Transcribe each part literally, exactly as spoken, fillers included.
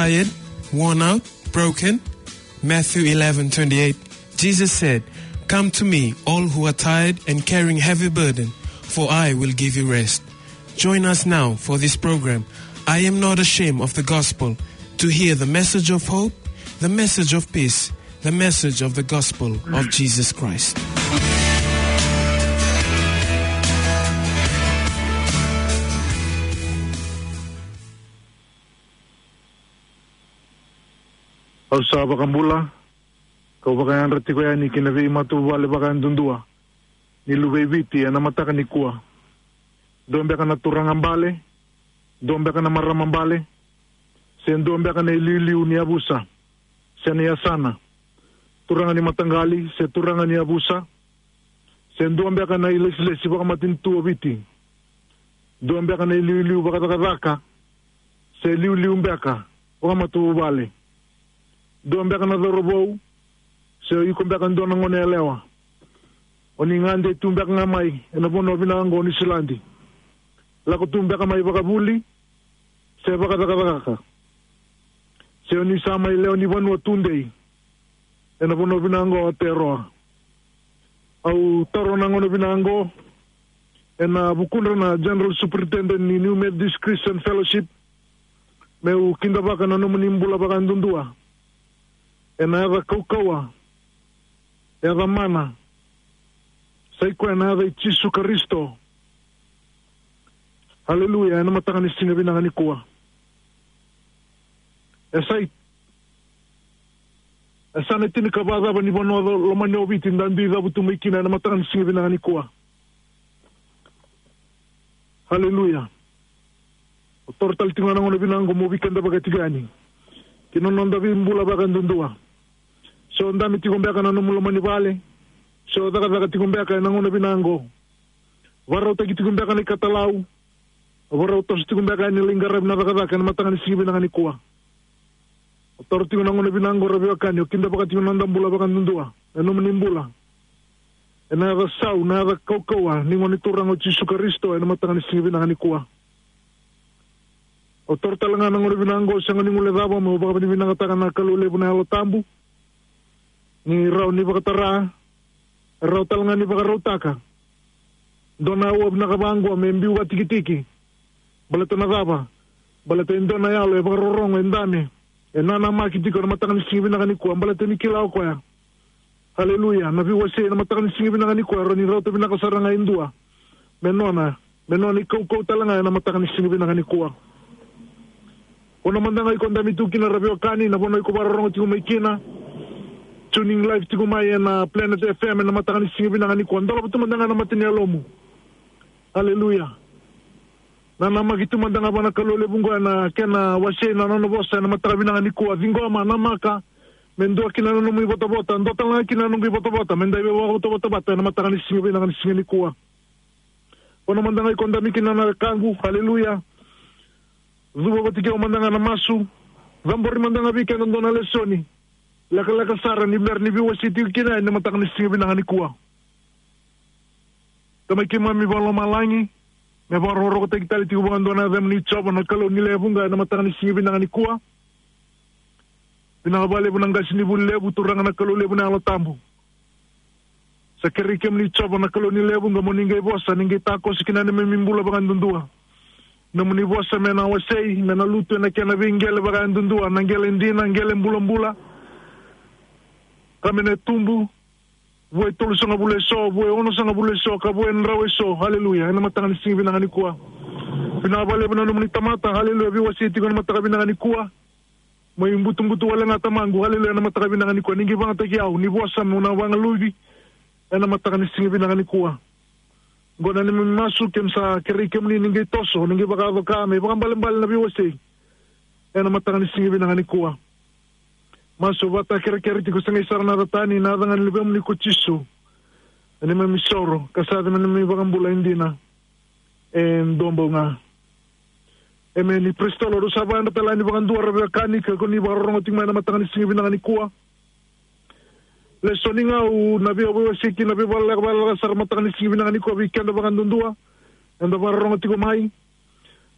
Tired, worn out, broken? Matthew eleven twenty-eight, Jesus said, "Come to me, all who are tired and carrying heavy burden, for I will give you rest." Join us now for this program, I Am Not Ashamed of the Gospel, to hear the message of hope, the message of peace, the message of the gospel of Jesus Christ. Au sa vakabula, kau vakayadra tiko yani ki na veimatavuvale vakayadudua ni luvei Viti ena mataka nikua. Dua beka na turaga bale, dua beka na marama bale, se dua beka na iliuliu ni yavusa se na yasana, turaga ni mataqali se turaga ni yavusa, se dua beka na ilesilesi vakamatanitu o Viti, dua beka na iliuliu vakacakacaka se iliuliu beka vakamatavuvale, dua beka na cauravou se o iko beka dua na gone yalewa. O ni gade tu beka ga mai ena vanua vinaka oqo o Niusiladi, lako tu beka mai vakavuli se vakacakacaka, se o ni sa mai lewe ni vanua tudei ena vanua vinaka oqo o Aotearoa. Au taura na gauna vinaka oqo ena vukudra na General Superintendent ni New Methodist Christian Fellowship, meu kidavaka na nomuni bula vakayadudua ena yaca kaukauwa, yaca mana, sa i koya na yaca i Jisu Karisito. Aleluya. Ena mataka ni siga vinaka nikua, e sa i, e sa na tinikava cava ni vanua lo-, lomani o Viti da dui cavutu mai kina ena mataka ni siga vinaka nikua? Aleluya. Au taura tale tiko ga na gauna vinaka oqo meu veikidavaka tiko yani ki na noda veibula vakayadudua. Se o dabe tiko beka na nomu loma ni vale, se o cakacaka tiko beka ena gauna vinaka oqo, vakarautaki tiko beka na ikatalau, vakarautaki tiko beka yani lai qaravi na cakacaka ena mataka ni siga vinaka nikua. Au taura tiko na gauna vinaka oqo ra veiwekani, au kidavaka tiko na noda bula vakayadudua, na nomuni bula ena yaca sau, na yaca kaukauwa ni Gone Turaga o Jisu Karisito ena mataka ni siga vinaka nikua. Au taura tale ga na gauna vinaka oqo, sega ni guilecava meu vakavinavinakataka na Kalou levu na Yalo Tabu ni rawa ni vakatara, rawa tale ga ni vakarautaka dua na aua vinaka vaqo me biu vakatikitiki. Baleta na cava? Baleta e dua na yalo e vakarorogo, e dabe, e nanamaki tiko ena mataka ni siga vinaka nikua, baleta ni kila o koya, aleluya, na veiwasei ena mataka ni siga vinaka nikua e rawa ni rauta vinaka sara ga e dua me nona, me nona ikaukau tale ga ena mataka ni siga vinaka nikua. Vanua mada ga iko dabe tu kina ra veiwekani, na vanua iko vakarorogo tiko mai kina, tuning live tiko mai ena Planet F M ena mataka ni siga vinaka nikua, dolava tu mada ga na mata ni yalomu. Aleluya. Nanamaki tu mada ga vua na Kalou levu oqo ena kena wasei na nona vosa ena mataka vinaka nikua. Ciqoma, namaka, me dua kina na nomu ivotavota, dua tale ga kina na noqu ivotavota, me da veivakavotavota vata ena mataka ni siga vinaka ni siga nikua. Vanua mada ga iko dabe kina na wekaqu, aleluya, cuva vata kei au mada ga na masu. Cabori mada ga vei keda dua na lesoni lekaleka sara ni bera ni veiwasei tiko kina ena mataka ni siga vinaka nikua. Tamai keimami vakalomalagi, me vakarokorokotaki tale tiko vakadua na yacamuni Jiova na Kalou ni lewe vuqa ena mataka ni siga vinaka nikua. Vinaka vakalevu na qasenivuli levu, Turaga na Kalou levu na Yalo Tabu. Sa kerei kemuni Jiova na Kalou ni lewe vuqa mo ni qai vosa, ni qai takoso kina neimami bula vakayadudua. Nomuni vosa me na wasei, me na lutu ena kena veiqele vakayadudua, na qele dina, qele bulabula, ka me na tubu vua e tolusagavulu eso, vua e onosagavulu eso, ka vua e drau eso. Aleluya. Ena mataka ni siga vinaka nikua, vinaka vakalevu na nomuni tamata, aleluya, veiwasei tiko ena mataka vinaka nikua. Mai butubutu wale ga Tamaqu, aleluya, ena mataka vinaka nikua, ni qai vagataki au, ni vosa meu na vagaluvi ena mataka ni siga vinaka nikua. Oqo na neimami masu, keimami sa kerei kemuni ni qai toso, ni qai vakayaco ka me ivakaibalebale na veiwasei ena mataka ni siga vinaka nikua. Masu vata, kerekere tiko, sa qai sara na yaca tani, na yaca ga ni Luvemuni ko Jisu, na neimami isoro ka sa yaca na neimami iVakabula e dina e duabau ga. Emeni. Praise the Lord. Au sa vakayadra tale yani vakadua ra veiwekani, ke ko ni vakarorogo tiko mai ena mataka ni siga vinaka nikua. Lesoni ga au na via veiwasei kina, veivakaleka, vakaleka sara mataka ni siga vinaka nikua vei keda vakadudua eda vakarorogo tiko mai.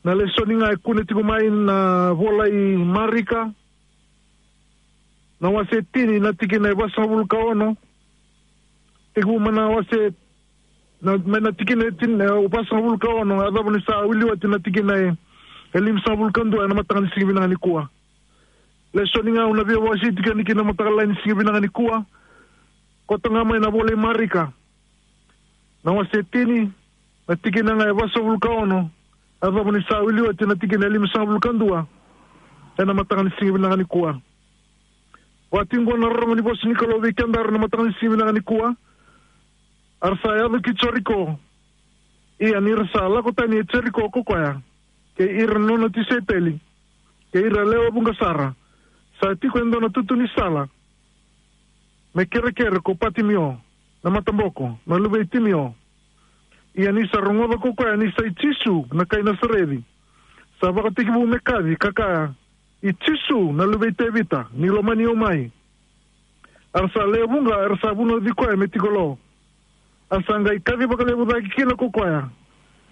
Na lesoni ga e kune tiko mai na vola i Marika, na wase tini na tikina e vasagavulu ka ono. Tekivu mai na wase, na, mai na tikina e tini, e, vasagavulu ka ono, a cava ni sa wili oti na tikina e, e limasagavulu ka dua ena mataka ni siga vinaka nikua. Lesoni ga au na via wasei tiko yani kina mataka lailai ni siga vinaka nikua. Koto ga mai na vola i Marika. Na wase tini, na tikina ga e vasagavulu ka ono, a cava ni sa wili oti na tikina e limasagavulu ka dua, ena mataka ni siga vinaka nikua. Vati qo na rorogo ni vosa ni Kalou vei kedaru na mataka ni siga vinaka nikua. A ra sa yaco ki Jeriko. Ia ni ra sa lako tani e Jeriko ko koya, kei ira na nona tisaipeli, kei ira lewe vuqa sara, sa tiko e dua na tutu ni sala, me kerekere ko Patimio, na mataboko, na luve i Timio. Ia ni sa rogoca ko koya ni sa i Jisu na kai Nasareci, sa vakatekivu me kaci ka kaya, "I Jisu, na luve i Tevita, ni lomani au mai." A ra sa lewe vuqa era sa vunauci koya me tiko lo. A sa qai kaci vakalevu cake kina ko koya,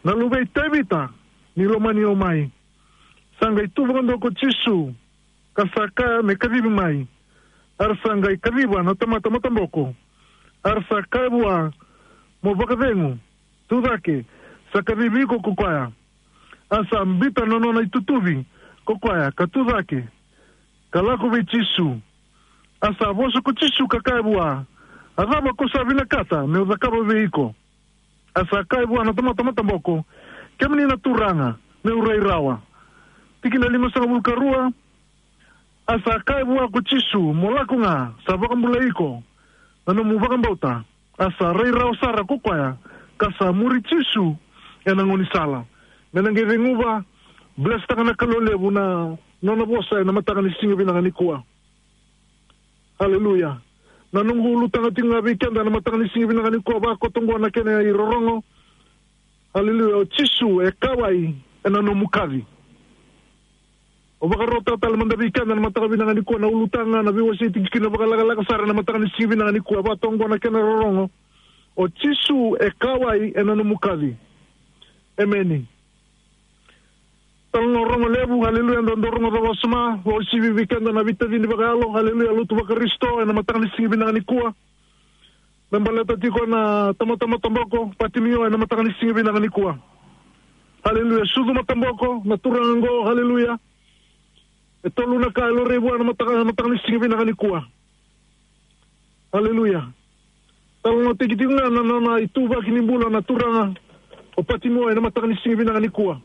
"Na luve i Tevita, ni lomani au mai." Sa qai tu vakadua ko Jisu, ka sa kaya me kacivi mai. A ra sa qai kaciva na tamata mataboko. A ra sa kaya vua, "Mo vakacegu, tu cake, sa kacivi iko ko koya." A sa bita na nona itutuvi ko koya, ka tu cake, ka lako vei Jisu. A sa vosa ko Jisu ka kaya vua, "A cava ko sa vinakata meu cakava vei iko?" A sa kaya vua na tamata mataboko, "Kemuni na Turaga, meu rai rawa." Tikina limasagavulu ka rua. A sa kaya vua ko Jisu, "Mo lako ga, sa vakabulai iko na nomu vakabauta." A sa rai rawa sara ko koya, ka sa muri Jisu ena gaunisala. Me na qai ceguva, blesstaka na Kalou levu na nona vosa ena mataka ni siga vinaka nikua. Aleluya. Na noqu ulutaga tiko ga vei keda na mataka ni siga vinaka nikua, vakoto qo na kena irorogo. Aleluya. O Jisu e kauwai ena nomu kaci. O vakarota tale mada vei keda na mataka vinaka nikua na ulutaga na veiwasei tiko kina vakalakalaka sara na mataka ni siga vinaka nikua, vakoto qo na kena rorogo. O Jisu e kauwai ena nomu kaci. Emeni. Talanoa rogo levu, aleluya, dou rogoca vakasama, vakauasivi vei keda na veitacini vakayalo, aleluya, lotu vaKarisito, ena mataka ni siga vinaka nikua. Me baleta tiko na tamata mataboko, Patimio, ena mataka ni siga vinaka nikua. Aleluya, sucu mataboko, na turaga qo, aleluya. E tolu na ka e laurai vua ena mataka, mataka ni siga vinaka nikua. Aleluya. Talanoataki tiko ga na nona ituvaki ni bula na turaga o Patimio ena mataka ni siga vinaka nikua.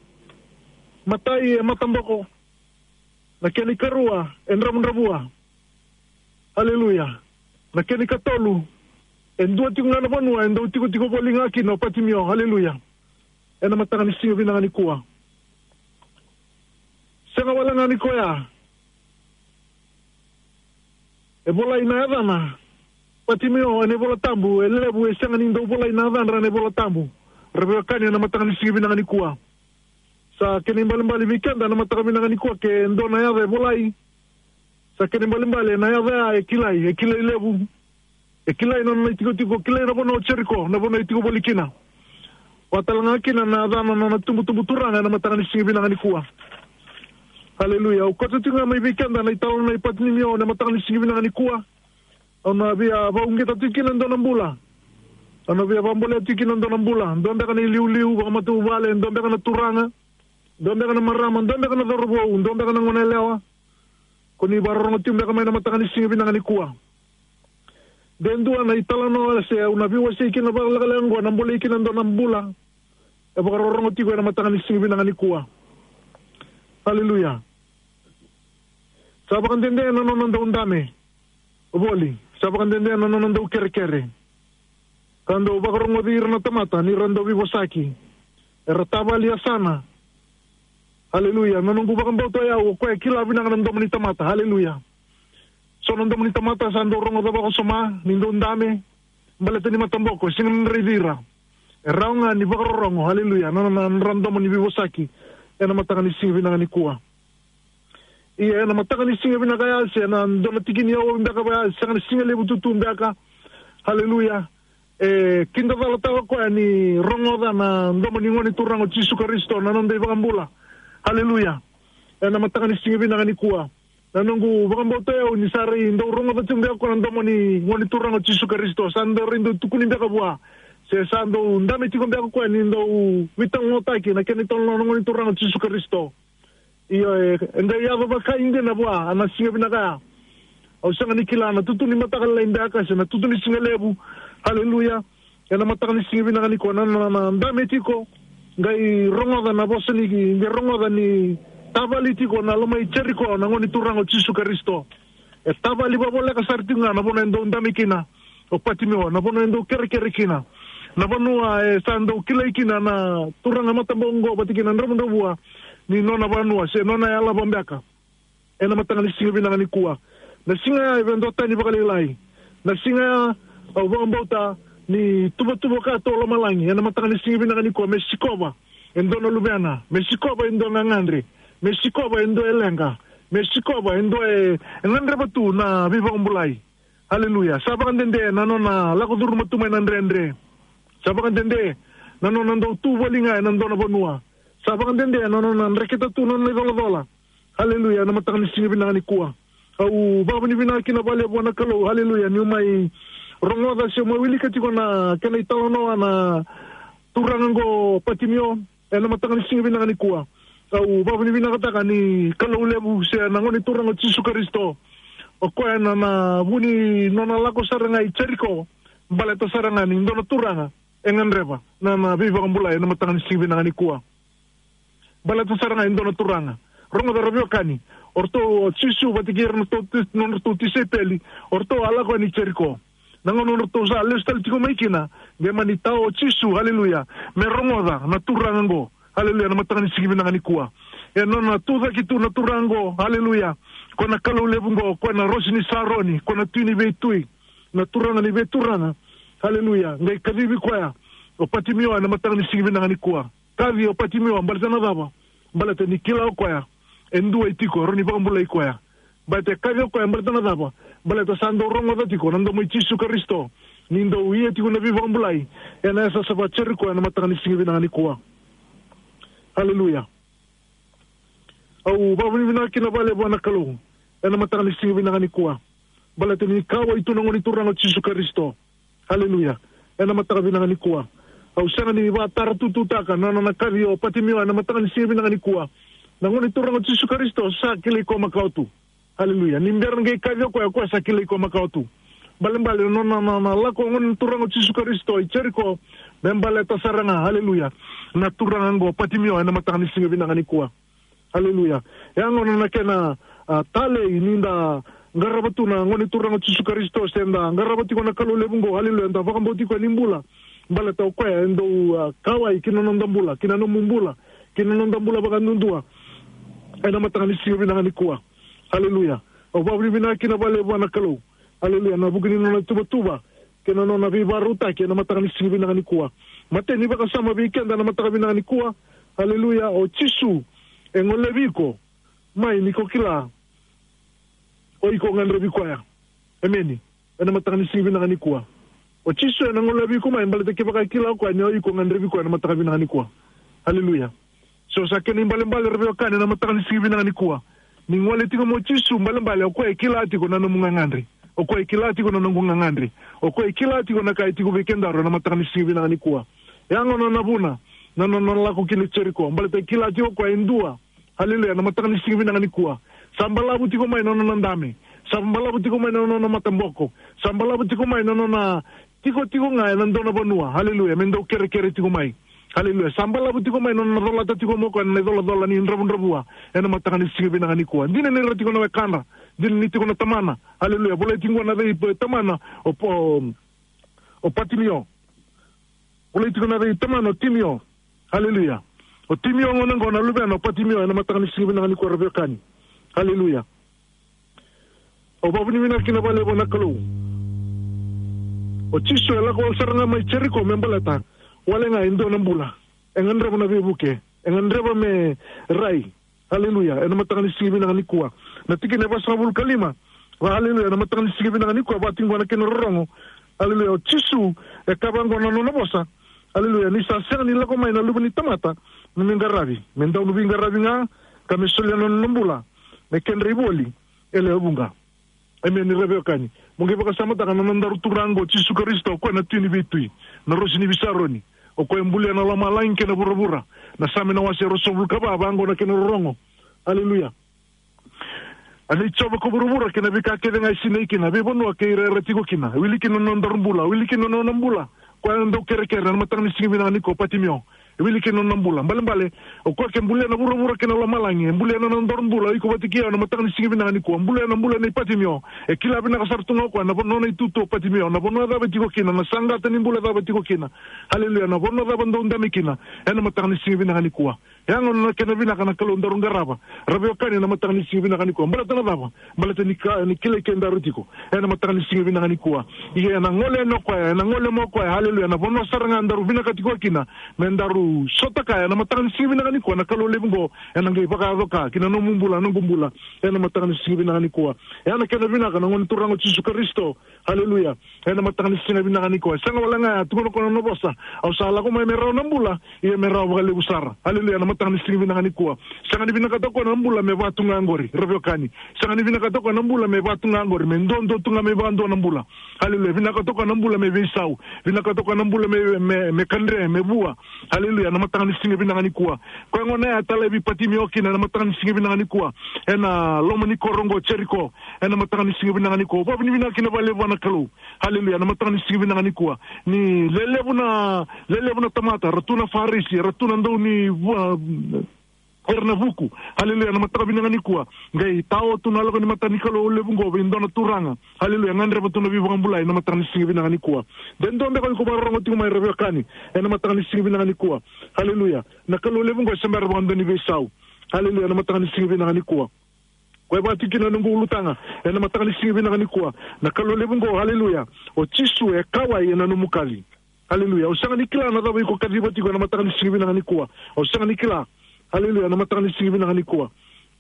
Matai e mataboko. Na kena ikarua e dravudravua. Aleluya. Na kena ikatolu e dua tiko ga na vanua e dau tikotiko voli ga kina o Patimio. Aleluya. Ena mataka ni siga vinaka nikua. Sega wale ga ni koya. E volai na yacana Patimio ena iVola Tabu, e levu e sega ni dau volai na yacadra ena iVola Tabu. Ra veiwekani ena mataka ni siga vinaka nikua. Sa kena ibalebale vei keda ena mataka vinaka nikua ke dua na yaca e volai. Sa kena ibalebale na yaca ya e kilai, e kilai levu. E kilai na nona itikotiko, kilai na vanua o Jeriko, na vanua e tiko voli kina. Vaka tale ga kina na yacana na nona tubutubu turaga ena mataka ni siga vinaka nikua. Aleluya. Au kauta tiko ga mai vei keda na italanoa i Patimio ena mataka ni siga vinaka nikua. Au na via vakauqeta tiko kina e dua na bula. Au na via vakabolea tiko kina e dua na bula. Dua beka na iliuliu vakamatavuvale, dua beka na turaga, dua beka na marama, dua beka na cauravou, dua beka na goneyalewa. Ko ni vakarorogo tiko beka mai na mataka ni siga vinaka nikua. De dua na italanoa se au na veiwasei kina vakalekaleka qo, na bolei kina e dua na bula. E vakarorogo tiko ena mataka ni siga vinaka nikua. Aleluya. Sa vakadede na nona dau dame voli, sa vakadede na nona dau kerekere. Ka dau vakarogoci ira na tamata ni ra dau veivosaki. Era tavali yasana. Aleluya. Na noqu vakabauta o yau, o koya e kila vinaka na domo ni tamata. Aleluya. So na domo ni tamata sa dau rogoca vakasoma ni dau dame, baleta ni mataboko, sega ni raici ira. E rawa ga ni vakarorogo, aleluya, na, na, na nodra domo ni veivosaki ena mataka ni siga vinaka nikua. Ia ena mataka ni siga vinaka ya, se na dua na tiki ni aua beka vaya, sega na siga levu tutu beka. Aleluya. E kidacalataka o koya ni rogoca na domo ni Gone Turaga o Jisu Karisito, na noda iVakabula. Aleluya. Ena mataka ni siga vinaka nikua. Na noqu vakabauta o yau ni sa rai dau rogoca tiko beka o koya na domo ni Gone Turaga o Jisu Karisito. Sa dau rai dau tukuni beka vua. Se sa dau dame tiko beka o koya ni dau veitalanoataki na kena italanoa na Gone Turaga o Jisu Karisito. Io, e, e qai yaco vakaidina vua na siga vinaka ya. Au sega ni kila na tutu ni mataka lailai beka se na tutu ni siga levu. Haleluya. Ena mataka ni siga vinaka nikua na, na, na dame tiko, qai rogoca na vosa ni, qai rogoca ni tavali tiko na loma i Jeriko na Gone Turaga o Jisu Karisito. E tavali vavoleka sara tiko ga na vanua e dau dame kina o Patimio, na vanua e dau kerekere kina, na vanua e sa dau kilai kina na turaga mataboko oqo vata kina dravudravua ni nona vanua se nona yalava beka. Ena mataka ni siga vinaka nikua, na siga ya e via duatani vakalailai. Na siga ya au vakabauta ni tuvatuva ka tu o lomalagi ena mataka ni siga vinaka nikua me sikova e dua na luvena, me sikova e dua na gagadre, me sikova e dua e leqa, me sikova e dua e, e gadreva tu na veivakabulai. Haleluya. Sa vakadede na nona lako curuma tu mai na dredre. Sa vakadede na nona dau tu voli ga ena dua na vanua. Sa vakadede na nona dreketa tu na nona icolacola. Haleluya. Ena mataka ni siga vinaka nikua, au vakavinavinaka kina vakalevu vua na Kalou. Haleluya. Niu mai rogoca se mai wilika tiko na kena italanoa na turaga oqo Patimio. Ena mataka ni siga vinaka nikua, au vakavinavinakataka ni Kalou levu se na Gone Turaga o Jisu Karisito. O koya na, na vu ni nona lako sara ga i Jeriko, baleta sara ga ni dua na turaga e gadreva na, na veivakabulai ena mataka ni siga vinaka nikua. Baleta sara ga e dua na turaga. Rogoca ra veiwekani, o ratou o Jisu vata kei ira na nodratou ti-, nodratou tisaipeli, o ratou a lako yani i Jeriko. Na gauna nodratou sa lesu tale tiko mai kina, qai mani tao o Jisu, haleluya, me rogoca na turaga oqo, haleluya, na mataka ni siga vinaka nikua. E nona tucake tu na turaga oqo, haleluya, ko na Kalou levu oqo, ko na Rosi ni Saroni, ko na Tui ni veitui, na Turaga ni veituraga, haleluya, qai kacivi koya o Patimio ena mataka ni siga vinaka nikua. Kaci o Patimio baleta na cava? Baleta ni kila o koya e dua e tiko e rawa ni vakabulai koya. Baleta e kaci o koya baleta na cava? Baleta sa dau rogoca tiko na domo i Jisu Karisito ni dau ia tiko na veivakabulai ena yasayasa va Jeriko ena mataka ni siga vinaka nikua. Haleluya. Au vakavinavinaka kina vakalevu vua na Kalou ena mataka ni siga vinaka nikua, baleta ni kauwai tu na Gone Turaga o Jisu Karisito. Haleluya. Ena mataka vinaka nikua, au sega ni vakataratututaka na nona kaci o Patimio ena mataka ni siga vinaka nikua. Na Gone Turaga o Jisu Karisito sa kilai koya makawa tu. Haleluya. Ni bera ni qai kaci o koya, o koya sa kilai koya makawa tu. Balebale na nona, na, na lako o Gone Turaga o Jisu Karisito i Jeriko me baleta sara ga, haleluya, na turaga oqo Patimio ena mataka ni siga vinaka nikua. Haleluya. E a gona na kena, a, talei ni da qarava tu na Gone Turaga o Jisu Karisito, se da qarava tiko na Kalou levu oqo, haleluya, da vakabauti koya ni bula. Baleta o koya e dau, a, kauwai ki na noda bula, ki na nomu bula, ki na noda bula vakayadudua ena mataka ni siga vinaka nikua. Haleluya. Au vakavinavinaka kina vakalevu vua na Kalou. Haleluya. Na vuku ni nona tuvatuva kei na nona veivakarautaki ena mataka ni siga vinaka nikua. Matai ni vakasama vei keda ena mataka vinaka nikua. Haleluya. O Jisu e golevi iko mai ni ko kila o iko gadrevi koya. Emeni. Ena mataka ni siga vinaka nikua, o Jisu ena golevi iko mai baleta kevaka e kila o koya ni o iko gadrevi koya ena mataka vinaka nikua. Haleluya. So sa kena ibalebale, ra veiwekani, ena mataka ni siga vinaka nikua, ni gole tiko mai o Jisu, balebale o koya e kila tiko na nomu gagadre. O koya e kila tiko na noqu gagadre. O koya e kila tiko na ka e tiko vei kedaru ena mataka ni siga vinaka nikua. E a gona na vuna na, na, na lako kina i Jeriko, baleta e kila tiko o koya e dua. Haleluya. Ena mataka ni siga vinaka nikua, sa balavu tiko mai na nona dame. Sa balavu tiko mai na nona mataboko. Sa balavu tiko mai na nona tikotiko ga ena dua na vanua. Haleluya. Me dau kerekere tiko mai. Haleluya. Sa balavu tiko mai na nona colata tiko mai o koya na icolacola ni dravudravua ena mataka ni siga vinaka nikua. Dina ni ra tiko na wekadra, dina ni tiko na tamana. Haleluya. Volai tiko na cei, e, tamana o, o, o Patimio. Volai tiko na cei, tamana o Timio. Haleluya. O Timio gona oqo na luvena o Patimio ena mataka ni siga vinaka nikua, ra veiwekani. Haleluya. Au vakavinavinaka kina vakalevu vua na Kalou. O Jisu e lako wale sara ga mai Jeriko me baleta wale ga e dua na bula. E gadreva na veivuke. E gadreva me rai. Haleluya. Ena mataka ni siga vinaka nikua, na tikina e vasagavulu ka lima. Va, haleluya. Ena mataka ni siga vinaka nikua, va tiko na kena rorogo. Haleluya. O Jisu e kaya vaqo na nona vosa. Haleluya. Ni sa sega ni lako mai na Luve ni tamata me qaravi, me dau veiqaravi ga, ka me solia na nona bula me kedra ivoli E lewe vuqa. Emeni, ra veiwekani. Mo qai vakasamataka na nodaru Turaga o Jisu Karisito, o koya na Tui ni veitui, na Rosi ni veisaroni. O koya e bulia na lomalagi kei na vuravura. Na Same na wase e ruasagavulu ka va, vaqo na kena rorogo. Aleluya. A nei Jiova ko vuravura kei na veika kece ga e sinai kina, veivanua kei ira era tiko kina. E wili kina na nodaru bula, e wili kina na nona bula. Koya na daukerekere, na mataka ni siga vinaka nikua, Patimeo. E wili kina na nona bula. Balebale, o koya ke bulia na vuravura kei na lomalagi, e bulia na nodaru bula, o iko vata kei au, na mataka ni siga vinaka nikua. Bulia na bula nei Patimeo. E kila vinaka sara tu ga o koya na vanua, nona itutu o Patimeo, na vanua cava e tiko kina, na saqata ni bula cava e tiko kina. Aleluya, na vanua cava dau dame kina. Ena mataka ni siga vinaka nikua. E a gona na kena vinaka na Kalou daru qarava, ra veiwekani, ena mataka ni siga vinaka nikua. Baleta na cava? Baleta ni ka, ni kilai kedaru tiko ena mataka ni siga vinaka nikua. Ia ena gole yani o koya, ena gole mai o koya, aleluya, na vanua sara ga daru vinakata tiko kina me daru sota kaya ena mataka ni siga vinaka nikua, na Kalou levu oqo ena qai vakayaco ka kina nomu bula, noqu bula, ena mataka ni siga vinaka nikua. E a na kena vinaka na Gone Turaga o Jisu Karisito. Aleluya. Ena mataka ni siga vinaka nikua. E sega wale ga ya, tukuna o koya na nona vosa: Au sa lako mai me rawa na bula, ia me rawa vakalevu sara. Aleluya. Ena mataka ni siga vinaka nikua. Sega ni vinakata o koya na bula me va tu ga oqori, ra veiwekani. Sega ni vinakata o koya na bula me va tu ga oqori, me duadua tu ga mai vakadua na bula. Aleluya. Vinakata o koya na bula me veisau. Vinakata o koya na bula me, me, me kadre, me vua. Aleluya. Ena mataka ni siga vinaka nikua. Koya gona ya e talevi Patimeo kina ena mataka ni siga vinaka nikua, ena loma ni koro oqo o Jeriko. Ena mataka ni siga vinaka nikua, vakavinavinaka kina vakalevu vua na Kalou. Aleluya. Ena mataka ni siga vinaka nikua, ni lelevu na, lelevu na tamata, era tu na Farisi, era tu na dau ni vua, era na vuku. Aleluya. Ena mataka vinaka nikua, qai tao tu na lako ni mata ni Kalou levu oqo vei dua na turaga. Aleluya. Gadreva tu na veivakabulai ena mataka ni siga vinaka nikua. De dua beka o iko vakarorogo tiko mai, ra veiwekani, ena mataka ni siga vinaka nikua. Aleluya. Na Kalou levu oqo e se bera vakadua ni veisau. Aleluya. Ena mataka ni siga vinaka nikua, koya e vaka tiko kina na noqu ulutaga ena mataka ni siga vinaka nikua. Na Kalou levu oqo, aleluya, o Jisu e kauwai ena nomu kaci. Aleluya. Au sega ni kila na cava iko kaciva tiko ena mataka ni siga vinaka nikua. Au sega ni kila. Aleluya. Ena mataka ni siga vinaka nikua,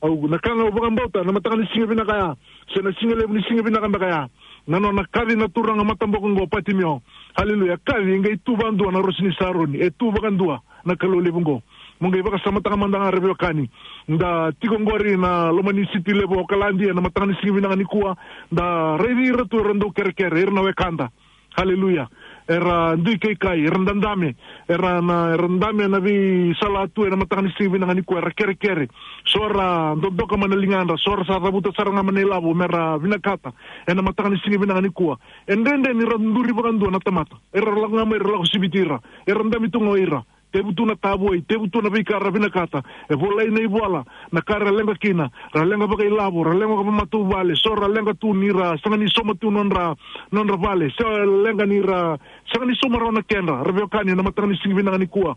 au, na ka ga au vakabauta ena mataka ni siga vinaka ya, se na siga levu ni siga vinaka beka ya, na nona kaci na turaga mataboko oqo o Patimeo. Aleluya. Kaci, e qai tu vakadua na Rosi ni Saroni. E tu vakadua na Kalou levu oqo. Mo qai vakasamataka mada ga, ra veiwekani, da tiko oqori na loma ni siti levu o Okaladi ena mataka ni siga vinaka nikua. Da raici ira tu era dau kerekere, ira na wekada. Aleluya. Era dui kaikai, era dadame, era na, era dame ena veisala tu ena mataka ni siga vinaka nikua, era kerekere. So era dodoka mai na ligadra, so era sa cavuta sara ga mai na ilavo me ra vinakata ena mataka ni siga vinaka nikua. E dredre ni ra duri vakadua na tamata. Era lako ga mai, ra lako siviti ira. Era dame tu ga o ira. Tevu tu na tavoi, tevu tu na veika ra vinakata. E volai na ivola, na ka ra leqa kina, ra leqa vakailavo, ra leqa vakamatavuvale, so ra leqa tu ni ra sega ni sauma tu nodra, nodra vale, so ra leqa ni ra sega ni sauma rawa na kedra, ra veiwekani, ena mataka ni siga vinaka nikua.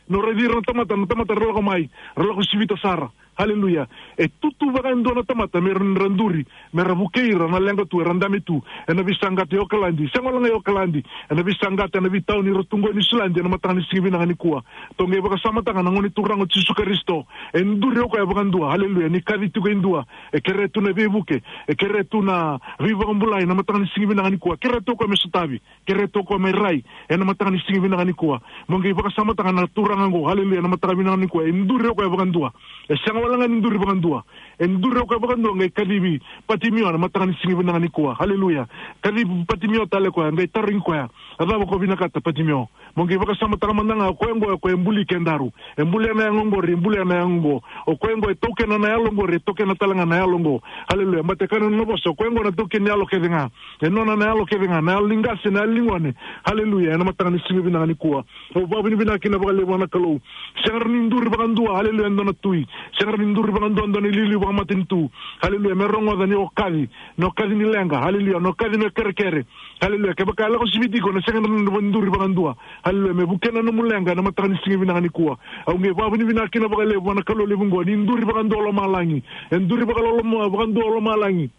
Ni o raici ira na tamata, na tamata ra lako mai, ra lako sivita sara. Aleluya. E tu tu vaka e dua na tamata me ra, ra duri, me ra vukei ira na leqa tu, era dame tu ena veisaqata e Okaladi. Sega wale ga e Okaladi, ena veisaqata, ena veitauni era tu qo e Niusiladi, ena mataka ni siga vinaka nikua. Tou qai vakasamataka na Gone Turaga o Jisu Karisito. E duri o koya vakadua. Aleluya. Ni kaci tiko e dua, e kerea tu na veivuke, e kerea tu na veivakabulai ena mataka ni siga vinaka nikua. Kerea tu o koya me sotavi. Kerea tu o koya me rai ena mataka ni siga vinaka nikua. Mo qai vakasamataka na turaga oqo, aleluya, ena mataka vinaka nikua. E duri o koya vakadua. E sega wale ga ni duri vakadua. E duri o koya vakadua, qai kacivi Patimio ena mataka ni siga vinaka nikua. Aleluya. Kacivi Patimio tale o koya, qai tarogi koya: A cava ko vinakata, Patimio? Mo qai vakasamataka mada ga, o koya oqo, o koya e buli kedaru. E bulia na yago oqori, e bulia na yago oqo. O koya oqo e taukena na yalo oqori, e taukena tale ga na yalo oqo. Aleluya. Baleta e kaya na nona vosa, o koya oqo na taukei ni yalo kece ga. E nona na yalo kece ga, na yalo ni qase, na yalo ni gone. Aleluya. Ena mataka ni siga vinaka nikua, au vakavinavinaka kina vakalevu vua na Kalou. Sega rawa ni duri vakadua, aleluya, e dua na tui. Sega rawa ni duri vakadua e dua na iliuliu vakamatanitu. Aleluya. Me rogoca ni o kaci, ni o kaci ni leqa. Aleluya. Ni o kaci ni o kerekere. Aleluya. Kevaka e lako siviti iko, na sega ni duri vakadua. Aleluya. Me vukea na nomu leqa ena mataka ni siga vinaka nikua. Au qai vakavinavinaka kina vakalevu vua na Kalou levu oqo, ni duri vakadua o lomalagi. E duri vakaloloma, vakadua o lomalagi.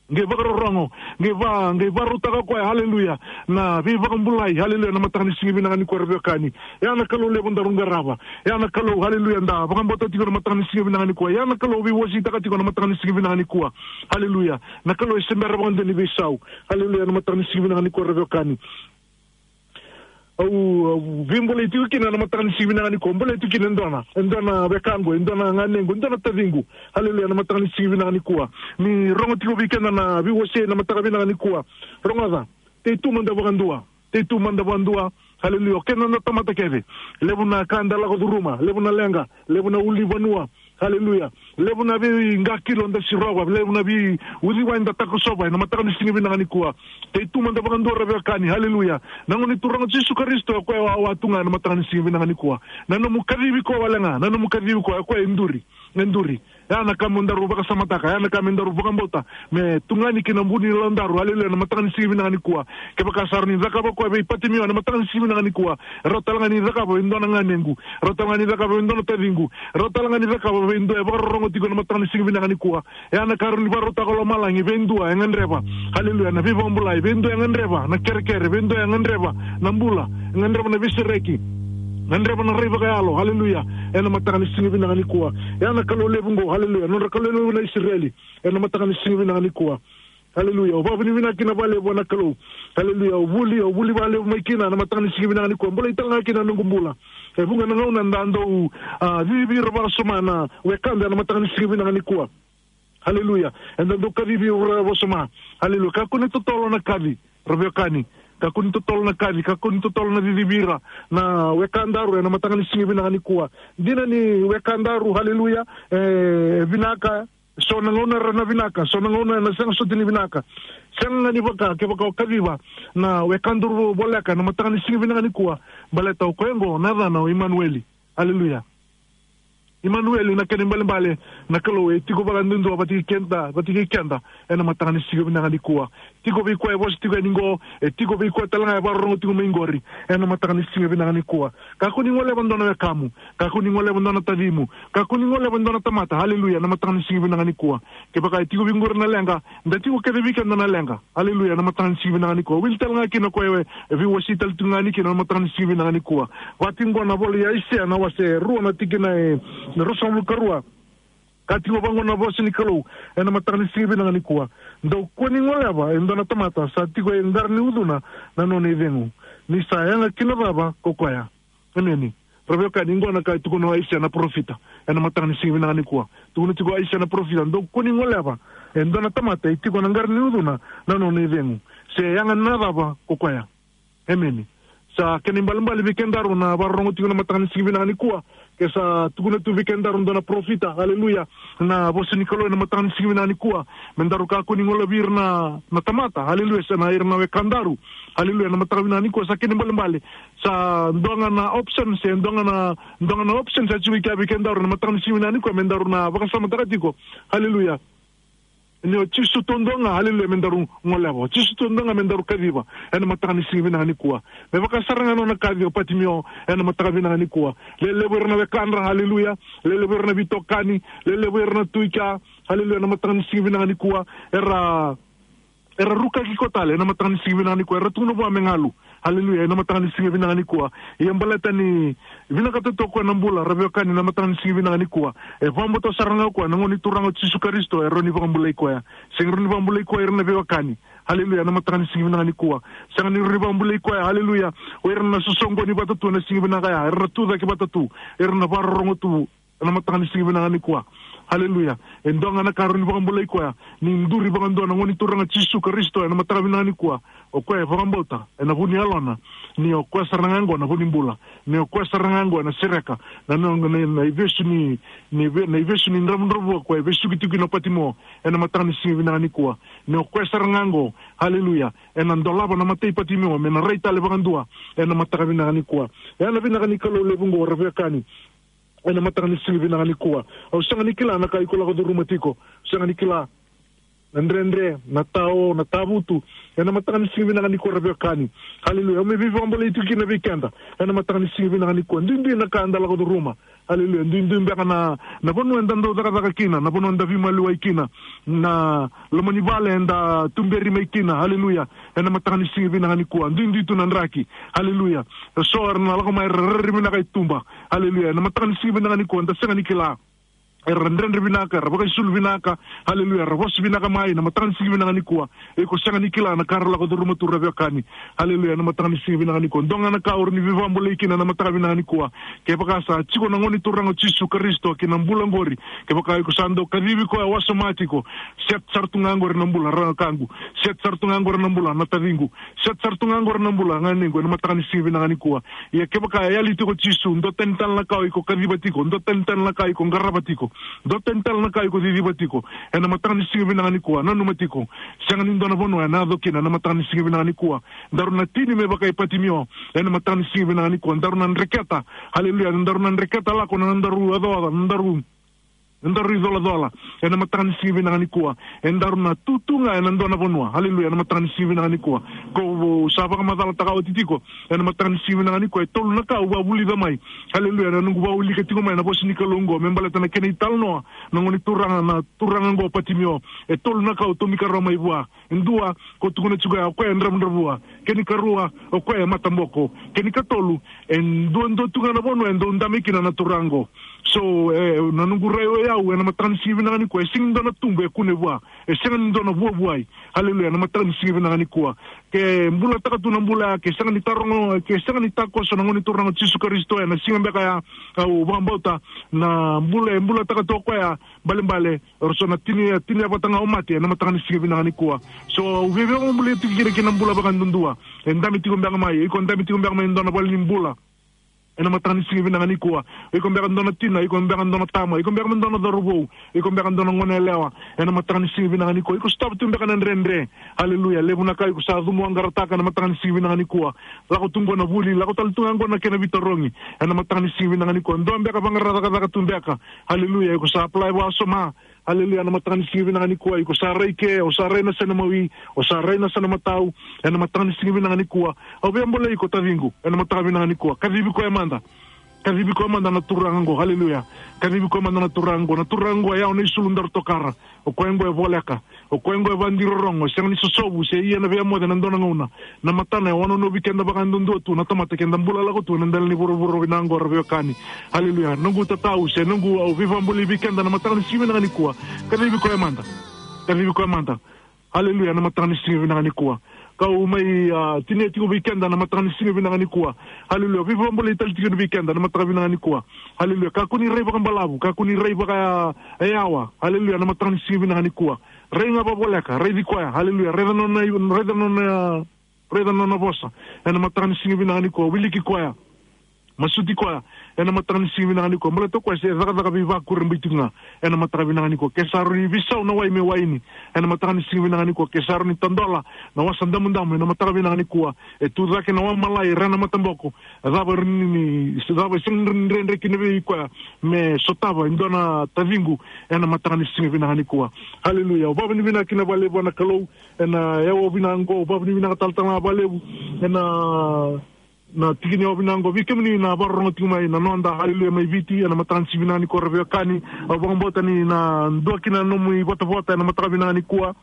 Qai vakarorogo, qai va, qai vakarautaka o koya, aleluya, na veivakabulai, aleluya, ena mataka ni siga vinaka nikua, ra veiwekani. E a na Kalou levu daru qarava. E a na Kalou, aleluya, da vakabauta tiko ena mataka ni siga vinaka nikua. E a na Kalou veiwaseitaka tiko ena mataka ni siga vinaka nikua. Aleluya. Na Kalou e se bera vakadua ni veisau. Aleluya, ena mataka ni siga vinaka nikua, ra veiwekani. au, au veibolei tiko kina ena mataka ni siga vinaka nikua. Bolei tiko kina e dua na, e dua na wekaqu, e dua na ganequ, e dua na taciqu. Haleluya, ena mataka ni siga vinaka nikua. Ni rogo tiko vei keda na veiwasei ena mataka vinaka nikua. Rogoca, tei tu mada vakadua. Tei tu mada vakadua. Haleluya. O keda na tamata kece. Levu na ka eda lako curuma. Levu na leqa. Levu na ulunivanua. Haleluya. Levu na veiqakilo da sirova. Levu na veiuciwai da takosova ena mataka ni siga vinaka nikua. Tei tu mada vakadua ra veiwekani. Haleluya. Na Gone Turaga Jisu Karisito, o koya e wawa tu ga ena mataka ni siga vinaka nikua. Na nomu kacivi koya wale ga. Na nomu kacivi koya, o koya e duri. E duri. Ya na ka mo daru vakasamataka, ya na ka me daru vakabauta, me tugani ki na vu ni yalodaru, haleluya, ena mataka ni siga vinaka nikua. Kevaka sa rawa ni cakava o koya vei Patimio ena mataka ni siga vinaka nikua, e rawa tale ga ni cakava vei dua na ganequ, e rawa tale ga ni cakava vei dua na taciqu, e rawa tale ga ni cakava vei dua e vakarorogo tiko ena mataka ni siga vinaka nikua. Ya na ka rawa ni vakarautaka o lomalagi vei dua e gadreva, haleluya, na veivakabulai, vei dua e gadreva na kerekere, vei dua e gadreva na bula, e gadreva na veisereki, gadreva na rai vakayalo, haleluya, ena mataka ni siga vinaka nikua. Ya na Kalou levu qo, haleluya, nodra Kalou levu na Isireli, ena mataka ni siga vinaka nikua. Haleluya. Au vakavinavinaka kina vakalevu vua na Kalou. Haleluya. Au vuli, au vuli vakalevu mai kina ena mataka ni siga vinaka nikua. Bolei tale ga kina na noqu bula. E vuqa na gauna eda dau, a, cicivi ira vakasoma na wekada ena mataka ni siga vinaka nikua. Haleluya. Eda dau kacivi ira vakasoma. Haleluya. Kakua ni totolo na kaci, ra veiwekani. Kakua ni totolo na kaci, kakua ni totolo na cicivi ira na wekadaru ena mataka ni siga vinaka nikua. Dina ni wekadaru, haleluya, e vinaka, so na gauna era na vinaka, so na gauna era na sega soti ni vinaka. Sega ga ni vaka, kevaka o kaciva na wekadaru voleka ena mataka ni siga vinaka nikua, baleta o koya oqo na yacana o Imanueli. Haleluya. Imanueli, na kena ibalebale, na Kalou e tiko vakaduadua vata kei keda, vata kei keda ena mataka ni siga vinaka nikua. Tiko vei koya e vosa tiko yani qo, e tiko vei koya tale ga e vakarorogo tiko mai qori ena mataka ni siga vinaka nikua. Kakua ni goleva dua na wekamu, kakua ni goleva dua na tacimu, kakua ni goleva dua na tamata, haleluya, ena mataka ni siga vinaka nikua. Kevaka e tiko vei qori na leqa, da tiko kece vei keda na leqa. Haleluya, na mataka ni siga vinaka nikua. Wili tale ga kina o koya e veiwasei tale tu ga yani kina na mataka ni siga vinaka nikua. Vaka tiko qo na vola i Aisea na wase rua na tikina e ruasagavulu ka rua. Ka tiko vaqo na vosa ni Kalou ena mataka ni siga vinaka nikua. Dou kua ni goleva e dua na tamata sa tiko e qara ni ucuna na nona icegu. Ni sa yaga kina cava ko koya. Emeni. Ra veiwekani, qo na ka e tukuna o Aisea na parofita ena mataka ni siga vinaka nikua. Tukuna tiko o Aisea na parofita, dou kua ni goleva e dua na tamata e tiko na qara ni ucuna na nona icegu, se yaga na cava ko koya. Emeni. Sa kena ibalebale vei kedaru na vakarorogo tiko na mataka ni siga vinaka nikua, ke sa tukuna tu vei kedaru dua na parofita, haleluya, na vosa ni Kalou ena mataka ni siga vinaka nikua, me daru kakua ni golevi ira na, na tamata, haleluya, se na ira na wekadaru, haleluya, na mataka vinaka nikua, sa kena ibalebale. Sa dua ga na option, se dua ga na, dua ga na option sa tiko i kea vei kedaru na mataka ni siga vinaka nikua, me daru na vakasamataka tiko. Haleluya. Ni o Jisu taudua ga, haleluya, me daru goleva. O Jisu taudua ga me daru kaciva ena mataka ni siga vinaka nikua. Me vaka sara ga nona kaci o Patimio ena mataka vinaka nikua. Lelevu ira na wekadra, haleluya. Lelevu ira na veitokani, lelevu ira na tu i kea, haleluya, ena mataka ni siga vinaka nikua. Era era rukaki koya tale ena mataka ni siga vinaka nikua, era tukuna vua me galu. Haleluya, ena mataka ni siga vinaka nikua. Ia baleta ni vinakata tu o koya na bula, ra veiwekani, na mataka ni siga vinaka nikua, e vakabauta sara ga o koya na Gone Turaga o Jisu Karisito, e rawa ni vakabulai koya. Sega ni rawa ni vakabulai koya ira na veiwekani. Haleluya, na mataka ni siga vinaka nikua. Sega ni rawa ni vakabulai koya, haleluya, o ira na sosoqoni vata tu ena siga vinaka ya, era na tu cake vata tu, era na vakarorogo tu ena mataka ni siga vinaka nikua. Haleluya. E dua ga na ka rawa ni vakabulai koya, ni duri vakadua na Gone Turaga Jisu Karisito ena mataka vinaka nikua. O koya e vakabauta ena vu ni yalona ni o koya sara ga qo na vu ni bula, ni o koya sara ga qo ena sereka na, na, na, na ivesu ni, ni ve-, na ivesu ni dravudravua o koya e vesuki tiko kina o Patimio ena mataka ni siga vinaka nikua. Ni o koya sara ga qo, haleluya, ena dolava na mata i Patimio me na rai tale vakadua ena mataka vinaka nikua. Ena vinaka ni Kalou levu qo, ra veiwekani, ena mataka ni siga vinaka nikua. Au sega ni kila na ka iko lako curuma tiko. Sega ni kila na dredre, na tao, na tavutu. Ena mataka ni siga vinaka nikua, ra veiwekani. Haleluya. Au mai veivakabulai tiko kina vei keda ena mataka ni siga vinaka nikua. Duidui na ka eda lako curuma. Haleluya. Duidui beka na, na vanua eda dau cakacaka kina, na vanua eda veimaliwai kina, na loma ni vale eda tuberi mai kina. Haleluya. Ena mataka ni siga vinaka nikua, duidui tu na draki. Haleluya. So era na lako mai, ra rairai vinaka i tuba. Haleluya. Ena mataka ni siga vinaka nikua, da sega ni kila. era dredre vinaka, era vakaisulu vinaka, haleluya, era vosa vinaka mai, na mataka ni siga vinaka nikua. Iko sega ni kila na ka ra lako curuma tu, ra veiwekani. Haleluya, na mataka ni siga vinaka nikua. Dua ga na ka o rawa ni veivakabulai kina na mataka vinaka nikua. Kevaka sa tiko na Gone Turaga o Jisu Karisito ki na bula qori, kevaka iko sa dau kacivi koya wasoma tiko, set sara tu ga qori na bula, ra kaqu. Set sara tu ga qori na bula, na taciqu. Set sara tu ga qori na bula, ganequ, ena mataka ni siga vinaka nikua. Ia kevaka e yali tiko o Jisu, dua tani tale na ka o iko kaciva tiko, dua tani tale na ka o iko qarava tiko, dua tani tale na ka o iko ciciva tiko, ena mataka ni siga vinaka nikua, nanuma tiko. Sega ni dua na vanua ena yaco kina ena mataka ni siga vinaka nikua. Daru na tini me vaka i Patimio ena mataka ni siga vinaka nikua. Daru na dreketa, haleluya, daru na dreketa lako na nodaru ocaoca, nodaru, nodaru icolacola ena mataka ni siga vinaka nikua. Edaru na tu tu ga ena dua na vanua, haleluya, ena mataka ni siga vinaka nikua. Ko au sa vakamacalataka oti tiko, ena mataka ni siga vinaka nikua, e tolu na ka au vakavulica mai, haleluya, na noqu vakawilika tiko mai na vosa ni Kalou oqo me baleta na kena italanoa na Gone Turaga, na turaga oqo o Patimio. E tolu na ka au tomika rawa mai vua. E dua, ko tukuna tiko ya, o koya e dravudravua. Kena ikarua, o koya e mataboko. Kena ikatolu, e duadua tu ga na vanua e dau dabe kina na turaga oqo. So, e, na noqu rai o yau ena mataka ni siga vinaka nikua, e sega ni dua na tubu e kune vua, e sega ni dua na vuavuai. Haleluya, na mataka ni siga vinaka nikua. Ke bulataka tu na bula ya, ke sega ni tarogo, ke sega ni takoso na Gone Turaga o Jisu Karisito ena siga beka ya, au vakabauta na bula e bulataka tu o koya, balebale, o rawa ni tini, tini vata ga o mate ena mataka ni siga vinaka nikua. So, au via vakabulai tiko kina ki na bula vakayadudua. E dabe tiko beka mai, iko dabe tiko beka mai e dua na vale ni bula ena mataka ni siga vinaka nikua. Iko beka dua na tina, iko beka dua na tama, iko beka dua na cauravou, iko beka dua na gone yalewa ena mataka ni siga vinaka nikua. Iko sotava tu beka na dredre. Haleluya. Levu na ka iko sa cumu vaqarataka ena mataka ni siga vinaka nikua. Lako tu qo na vuli, lako tale tu ga qo na kena veitarogi ena mataka ni siga vinaka nikua. Dua beka vaqara cakacaka tu beka. Haleluya. Iko sa apply vakawasoma. Haleluya, ena mataka ni siga vinaka nikua, iko sa rai ke, o sa rai na sena mawi, o sa rai na sena matau, ena mataka ni siga vinaka nikua. Au via bolei iko taciqu, ena mataka vinaka nikua. Kacivi koya mada. Kacivi koya mada na turaga qo, haleluya. Kacivi koya mada na turaga qo, na turaga qo e yawa na isulu daru tokara. O koya qo e voleka, o koya qo e vakadirorogo, e sega ni sosovu, se ia na veiyamoce ena dua na gauna. Na matana e wanonovi keda vakayadudua tu na tamata keda bula lako tu ena dela ni vuravura vinaka qo, ra veiwekani. Haleluya. Noqu tatau se noqu, au veivakabulai vei keda na mataka ni siga vinaka nikua. Kacivi koya mada. Kacivi koya mada. Haleluya, na mataka ni siga vinaka nikua. Kau mai, a, tinia tiko vei keda na mataka ni siga vinaka nikua. Haleluya. Veivakabulai tale tiko vei keda na mataka vinaka nikua. Haleluya. Kakua ni rai vakabalavu, kakua ni rai vakayawa. Haleluya, na mataka ni siga vinaka nikua. Rai ga vakavoleka, raici koya. Haleluya. Raica nona, raica nona, raica nona vosa ena mataka ni siga vinaka nikua, wiliki koya, masuti koya ena mataka ni siga vinaka nikua. Baleta o koya se cakacaka veivakurabuitaki ga ena mataka vinaka nikua. Ke sa rawa ni veisau na wai me waini ena mataka ni siga vinaka nikua. Ke sa rawa ni tadola na Wasa Damudamu ena mataka vinaka nikua. E tu cake na Wamalai, ra na mataboko. E cava ni, ni, cava e sega ni dredre kina vei koya me sotava e dua na taciqu ena mataka ni siga vinaka nikua. Haleluya. Au vakavinavinaka kina vakalevu vua na Kalou ena yawa vinaka qo, vakavinavinaka talatala vakalevu ena, na tiki ni yawa vinaka qo vei kemuni na vakarorogo tiko mai na noda, haleluya, mai Viti ena mataka ni siga vinaka nikua, ra veiwekani. Au vakabauta ni na dua kina na nomu ivotavota ena mataka vinaka nikua.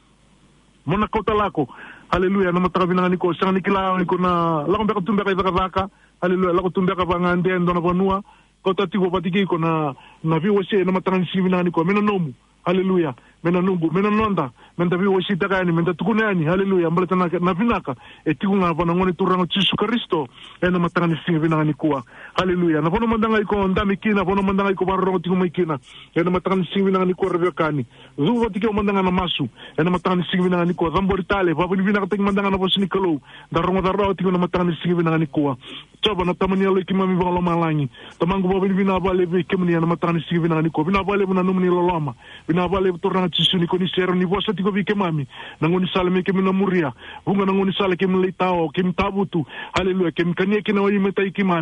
Mo na kauta lako, haleluya, ena mataka vinaka nikua. Sega ni kila ni ko na lako beka tu beka i cakacaka, haleluya, lako tu beka vagade e dua na vanua. Kauta tiko vata kei iko na, na veiwasei ena mataka ni siga vinaka nikua, me na nomu. Haleluya. Me na noqu, me na noda, me da veiwaseitaka yani, me da tukuna yani. Haleluya. Baleta na, na vinaka e tiko ga vua na Gone Turaga o Jisu Karisito ena mataka ni siga vinaka nikua. Haleluya. Na vanua mada ga iko dabe kina, vanua mada ga iko vakarorogo tiko mai kina ena mataka ni siga vinaka nikua, ra veiwekani. Cuva tiko mada ga na masu ena mataka ni siga vinaka nikua. Cabori tale, vakavinavinakataki mada ga na vosa ni Kalou da rogoca rawa tiko ena mataka ni siga vinaka nikua. Jiova na Tama ni yaloi keimami vakalomalagi. Tamaqu, vakavinavinaka vakalevu vei kemuni ena mataka ni siga vinaka nikua. Vinaka vakalevu na nomuni loloma. Vinaka vakalevu Turaga Jisu ni ko ni sega ni vosa tiko vei keimami. Na gaunisala me keimami na muria. Vuqa na gaunisala keimami lai tao, keimami tavutu. Haleluya. Keimami kania kina o imatai keimami.